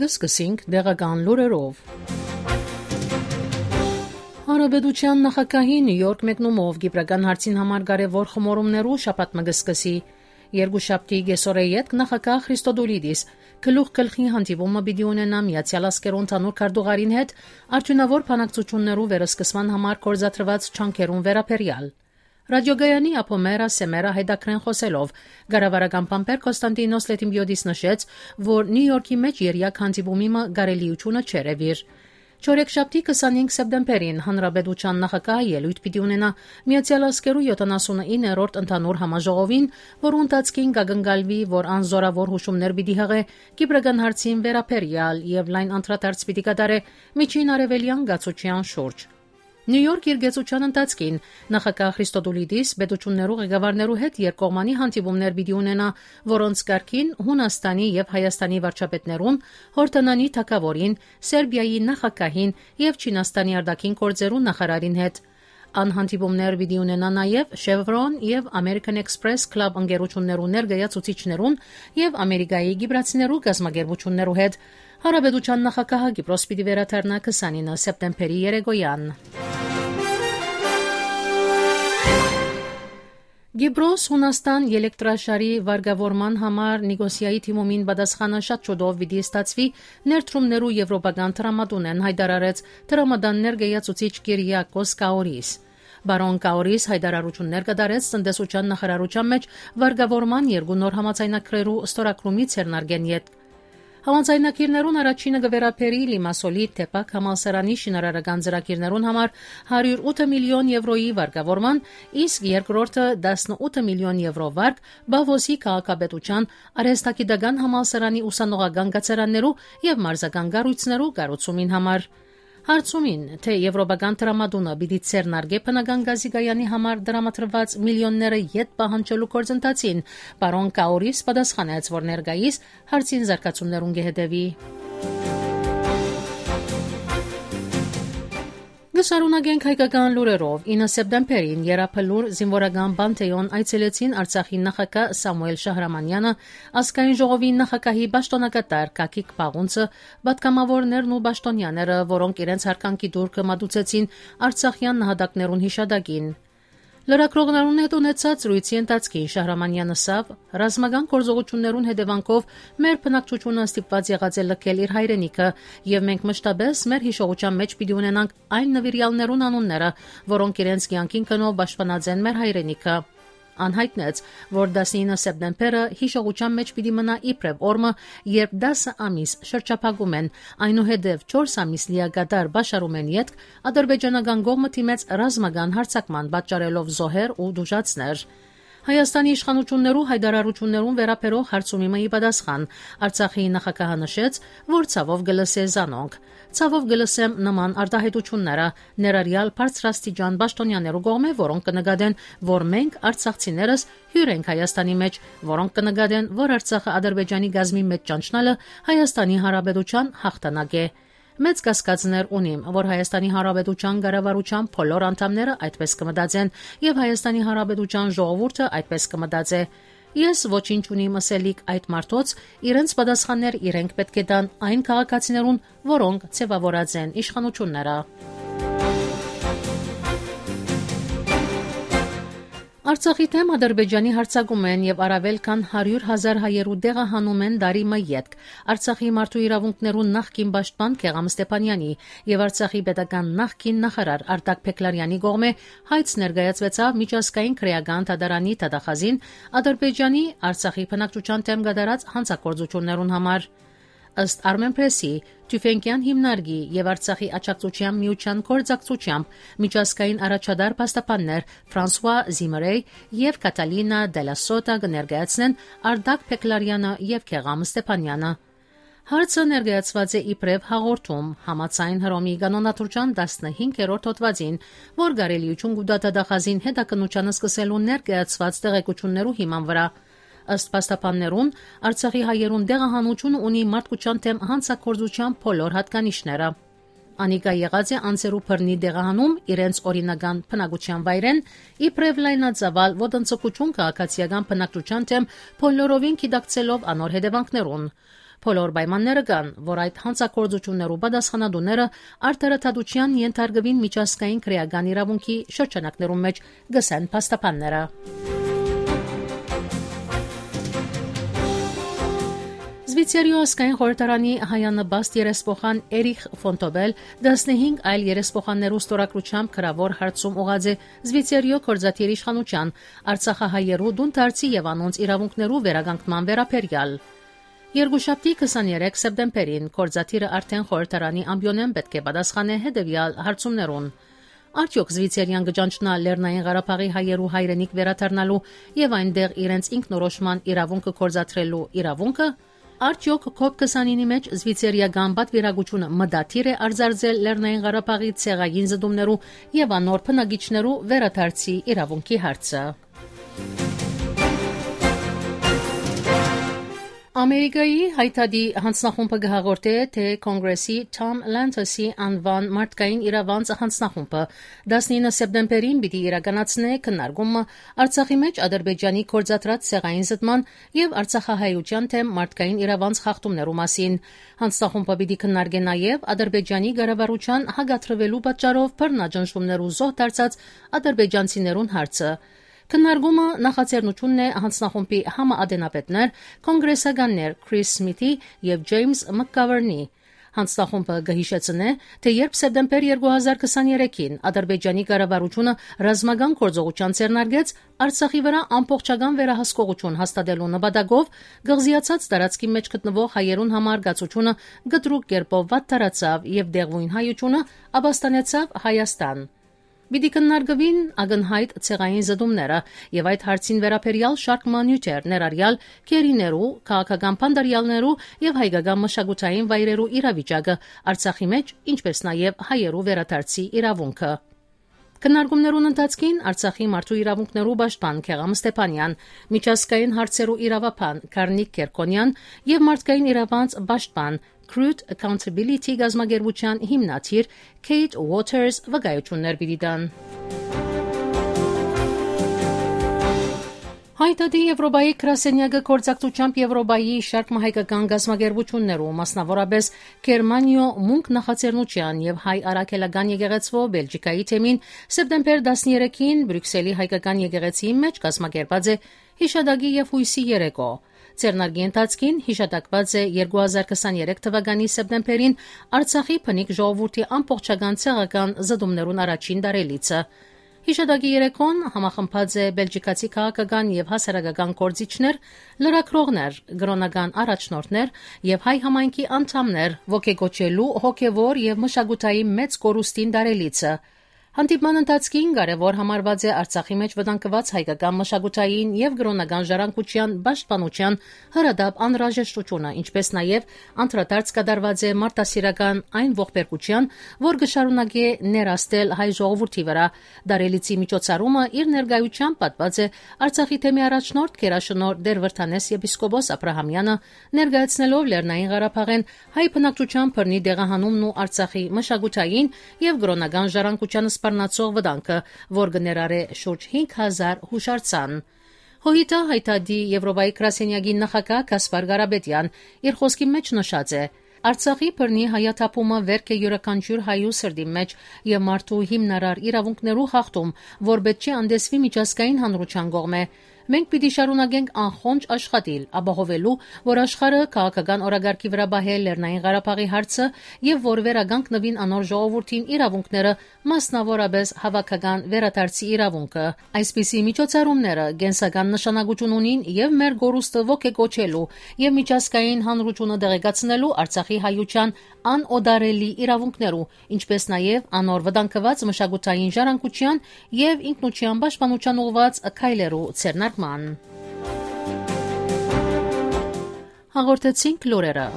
Սկսենք դեղական լուրերով։ Հանրապետության նախագահի Նյու Յորք մեկնումով Կիպրական հարցին համար կարևոր խմորումներու շաբաթ մը կսկսի։ Երկուշաբթի գեսօրե յետք նախագահ Քրիստոդուլիդիս գլուխ գլխի հանդիպումը պիտի ունենա Միացյալ Աշխարհի ընդհանուր քարտուղարին հետ արդյունավոր բանակցություններու վերսկսման համար կորզաթրված չանքերուն վերաբերյալ։ Ռադիոգայանի Ապոմերա Սեմերա հետաքրեն խոսելով Գարավարական Պամպեր Կոստանտինոս Լետիմբիոդիս նշեց, որ Նյու Յորքի մեջ երյակ հանդիպումի գարելիությունը չերևիր։ Չորեքշաբթի 25 սեպտեմբերին հանրապետության նախագահը ելույթ պիտի ունենա Միացյալ Աշխարհի 79-րդ ընդհանուր համաժողովին, որու ընթացքին կգնգալվի, որ անզորավոր հուշումներ պիտի հղե Կիպրական հարցին վերաբերյալ եւ լայն անդրադարձ պիտի կատարե միջին արևելյան գացության շուրջ։ Նյու Յորք իր գեցության ընթացքին նախագահ Քրիստոդուլիդիս պետություններու ղեկավարներու հետ երկկողմանի հանդիպումներ պիտի ունենա, որոնց կարգին Հունաստանի եւ Հայաստանի վարչապետներուն, Հորդանանի թագավորին, Սերբիայի նախագահին եւ Չինաստանի արտաքին գործերու նախարարին հետ։ Անհանդիպումներ պիտի ունենա նաեւ Chevron եւ American Express Club ընկերություններու ներկայացուցիչներուն եւ Ամերիկայի գիբրացիներու գազམ་ագերբություններու հետ։ Հանրապետության նախագահը Կիպրոս պիտի վերադառնա 29 սեպտեմբերի երեկոյան։ Գիբրոս Հունաստան էլեկտրաշարի վարկավորման համար Նիկոսիայի թիմումին պատասխանը շատ շուտով պիտի ստացվի ներդրումներու եվրոպական տրամադունեն հայտարարեց տրամադան ներկայացուցիչ Կիրիակոս Կաորիս։ Բարոն Կաորիս հայտարարություններ կատարեց տնտեսության նախարարության մեջ վարկավորման երկու նոր համաձայնագրերու ստորագրումից հեռնարկեն յետ։ Համաձայնագիրներուն առաջինը կվերապերի Լիմասոլի Թեպակ համալսարանի շինարարական ծրագիրներուն համար 108 միլիոն եվրոյի վարկավորման, իսկ երկրորդը 18 միլիոն եվրո վարկ Բավոսի քաղաքապետության արհեստագիտական համալսարանի ուսանողական կացարաններու եւ մարզական կառույցներու կառուցումին համար։ Հարցումին, թե եվրոպական տրամադունը պիտի ցերնարգե բնական գազի գայանի համար դրամատրված միլիոնները յետ պահանջելու գործընթացին, պարոն Կաորիս պատասխանեց, որ ներկայիս հարցին զարգացումներուն կհետևի։ Գշարունակենք հայկական լուրերով 9 սեպտեմբերին Երապլուր զինվորական բանտեոն այցելեցին Արցախի նախագահ Սամուել Շահրամանյանը, ազգային ժողովի նախագահի պաշտոնակատար Կակիկ Պաղունցը, պատգամավորներն ու պաշտոնյաները, որոնք իրենց հարկանքի դուրքը մատուցեցին արցախյան նահատակներուն հիշադակին։ Լրագրողներուն հետ ունեցած զրույցի ընթացքին Շահրամանյանը ասավ, ռազմական գործողություններուն հետևանքով մեր բնակչությունը ստիպված եղած է լքել իր հայրենիքը, եւ մենք մշտապես մեր հիշողության մեջ պիտի ունենանք այն նվիրյալներուն անունները, որոնք իրենց կյանքին կնով պաշտպանած են մեր հայրենիքը։ Անհայտնեց, որ 19 սեպտեմբերը հիշողության մեջ պիտի մնա իբրև օրը, երբ 10 ամիս շրջափակում են, այնուհետև 4 ամիս լիակատար բաշարում են յետք ադրբեջանական կողմը թիմեց ռազմական հարձակման պատճառելով զոհեր ու դժուժացներ։ Հայաստանի իշխանություններու հայտարարություններուն վերաբերող հարցումի պատասխան Արցախի նախագահը նշեց, որ ցավով գլսե զանոնք։ Ցավով գլսեմ նման արտահայտությունները ներառյալ բարձրաստիճան պաշտոնյաներու կողմէ, որոնք կնկատեն, որ մենք արցախցիներս հյուր ենք Հայաստանի մեջ, որոնք կնկատեն, որ Արցախը Ադրբեջանի գազմի մեջ ճանչնալը Հայաստանի Հանրապետության հաղթանակ է։ Մեծ կասկածներ ունիմ, որ Հայաստանի Հանրապետության կառավարության բոլոր անդամները այդպես կմտածեն եւ Հայաստանի Հանրապետության ժողովուրդը այդպես կմտածե։ Ես ոչինչ ունիմ ասելիք այդ մարդոց, իրենց պատասխաններ իրենք պետք է տան այն քաղաքացիներուն, որոնք ցևավորած են իշխանությունները։ Արցախի թեմ Ադրբեջանի հարձակում են եւ առավել քան 100,000 հայերու դեղահանում են դարի մը յետք Արցախի մարդու իրավունքներու նախկին պաշտպան Քեղամ Ստեփանյանի եւ Արցախի պետական նախկին նախարար Արտակ Փեկլարյանի կողմէ հայց ներկայացվեցավ միջազգային քրեական դատարանի դատախազին Ադրբեջանի Արցախի բնակչության թեմ կատարած հանցագործություններուն համար։ Ըստ Armenpress-ի Թյուֆենկյան հիմնարկի եւ Արցախի աջակցության միության կորձակցությամբ միջազգային առաջադար պաստապաններ Ֆրանսուଆ Զիմերեյ եւ Կատալինա Դելասոտա կներկայացնեն Արտակ Փեկլարյանը եւ Քեղամ Ստեփանյանը։ Հարցը ներկայացված է իբրև հաղորդում համաձայն Հռոմի կանոնադրության 15-րդ հոդվածին, որ կարելիություն կուտա դատախազին հետաքննության սկսելու ներկայացված տեղեկություններու հիման վրա։ Ըստ պաստապաններուն, Արցախի հայերուն դեղահանությունը ունի մարդկության թեմ հանցագործության բոլոր հատկանիշները։ Անիկա եղած է անձերու բռնի դեղահանում իրենց օրինական բնակության վայրեն, իբրև լայնածավալ ոտնձգություն քաղաքացիական բնակչության թեմ բոլորովին գիտակցելով անոր հետևանքներուն։ Բոլոր պայմանները կան, որ այդ հանցագործություններու պատասխանատուները արտարադատության ենթարկվին միջազգային քրեական իրավունքի շրջանակներում մեջ գսեն փաստաբանները։ Զվիցերիո ազգային խորհրդարանի հայանպաստ երեսփոխան Էրիխ Ֆոնտոբել 15 այլ երեսփոխաններու ստորագրությամբ քրավոր հարցում ուղղած է Զվիցերիո կորզաթիռ իշխանության Արցախահայերու դունտարցի եւ անոնց իրավունքներու վերականգնման վերաբերյալ։ Երկուշաբթի 23 սեպտեմբերին կորզաթիռը արդեն խորհրդարանի ամբիոնեն պետք է պատասխանե հետեւյալ հարցումներուն։ Արդյոք Զվիցերիան կճանչնա Լեռնային Ղարաբաղի հայերու հայրենիք վերադառնալու եւ այնտեղ իրենց ինքնորոշման իրավունքը կորզաթրելու իրավունքը։ Արդյոք COP29-ի մեջ Զվիցերիական պատվիրակությունը մտադիր է արձարծել Լեռնային Ղարաբաղի ցեղային զդումներու եւ անոր բնակիչներու վերադարձի իրավունքի հարցը։ Ամերիկայի հայտարարի հանձնախումբը գահաղորդե, թե Կոնգրեսի Թոմ Լանթոսի անվան մարդկային իրավանց հանձնախումբը 19 սեպտեմբերին պիտի իրականացնե քննարկումը Արցախի մեջ Ադրբեջանի կորզաթրած ցեղային զտման եւ Արցախահայության թեմ մարդկային իրավանց խախտումներու մասին։ Հանձնախումբը պիտի քննարկե նաեւ Ադրբեջանի կառավարության հագաթրվելու պատճառով բռնաճնշումներու զոհ դարձած ադրբեջանցիներուն հարցը։ Քննարկումը նախաձեռնությունն է հանձնախումբի համաադենապետներ, կոնգրեսականներ Քրիս Սմիթի եւ Ջեյմս Մակգավերնի։ Հանձնախումբը կհիշեցնե, թե երբ սեպտեմբեր 2023-ին Ադրբեջանի կառավարությունը ռազմական գործողության ձեռնարկեց Արցախի վրա ամբողջական վերահսկողություն հաստատելու նպատակով, գղզիացած տարածքի մեջ գտնվող հայերուն համար գացությունը գտրուկ կերպով վատ տարածավ եւ դեղույն հայությունը ապաստանեցավ Հայաստան։ Պիտի քննարկվին ակնհայտ ցեղային զդումները եւ այդ հարցին վերաբերյալ շարք մանյուտեր ներառյալ քերիներու, քաղաքական փանդարյալներու եւ հայկական մշակութային վայրերու իրավիճակը Արցախի մեջ, ինչպես նաեւ հայերու վերադարձի իրավունքը։ Քննարկումներուն ընթացքին Արցախի մարդու իրավունքներու պաշտպան Քեղամ Ստեփանյան, միջազգային հարցերու իրավապան Կարնիկ Կերկոնյան եւ մարդկային իրավանց պաշտպան Crude Accountability գազագերբության հիմնադիր Kate Waters վկայություններ պիտի տան։ Հայտարարի Եվրոպայի գրասենյակը կորցակցությամբ Եվրոպայի շարք հայկական գազագերբություններու, մասնավորապես Գերմանիո մունք նախաձեռնության եւ հայ արաքելական եկեղեցվո Բելգիկայի թեմին սեպտեմբեր 13-ին Բրյուսելի հայկական եկեղեցիի մեջ գազագերբած է հիշադակի եւ հույսի երեկո։ Ձեռնարկի ընթացքին հիշատակված է 2023 թվականի սեպտեմբերին Արցախի բնիկ ժողովրդի ամբողջական ցեղական զդումներուն առաջին դարելիցը։ Հիշատակի երեկոն համախմբած է բելգիկացի քաղաքական եւ հասարակական գործիչներ, լրագրողներ, գրոնական առաջնորդներ եւ հայ համայնքի անդամներ, ոգեգոճելու հոգեվոր եւ մշակութային մեծ կորուստին դարելիցը։ Հանդիպման ընթացքին կարևոր համարված է Արցախի մեջ վտանգված հայկական մշակութային եւ գրոնական ժառանգության պաշտպանության հրադապ անհրաժեշտությունը, ինչպես նաեւ անդրադարձ կատարված է մարտահրավերական այն ողբերգության, որ կշարունակի ներաստել հայ ժողովրդի վրա։ Դարելիցի միջոցառումը իր ներկայությամբ պատված է Արցախի թեմի առաջնորդ Գերաշնորհ Դերվրթանես եպիսկոպոս Աբրահամյանը, ներկայացնելով Լեռնային Ղարաբաղեն հայ բնակչության բռնի դեղահանումն ու Արցախի մշակութային եւ գրոնական ժառանգության սպառնացող վտանգը, որ կներառե շուրջ 5000 հուշարձան։ ՀՅԴ հայտարարի Եվրոպայի գրասենյակի նախագահ Կասպար Ղարաբեդյան իր խոսքի մեջ նշած է. Արցախի բռնի հայաթափումը վերք է յուրաքանչյուր հայու սրտի մեջ եւ մարդու հիմնարար իրավունքներու խախտում, որ պետք չէ անդեսվի միջազգային հանրության կողմէ։ Մենք պիտի շարունակենք անխոնջ աշխատել, ապահովելու, որ աշխարհը քաղաքական օրագարկի վրա բահե Լեռնային Ղարաբաղի հարցը եւ որ վերագանքնվին անոր ժողովրդին իրավունքները, մասնավորապես հավաքական վերադարձի իրավունքը։ Այսպիսի միջոցառումները կենսական նշանակություն ունին եւ մեր գորուստը ոգեգոճելու եւ միջազգային հանրությունը դեղեկացնելու Արցախի հայության անօդարելի իրավունքներու, ինչպես նաեւ անոր վտանգված մշակութային ժառանգության եւ ինքնության պաշտպանության ուղղված քայլերու ցերնարկման։ Հաղորդեցինք լուրերը։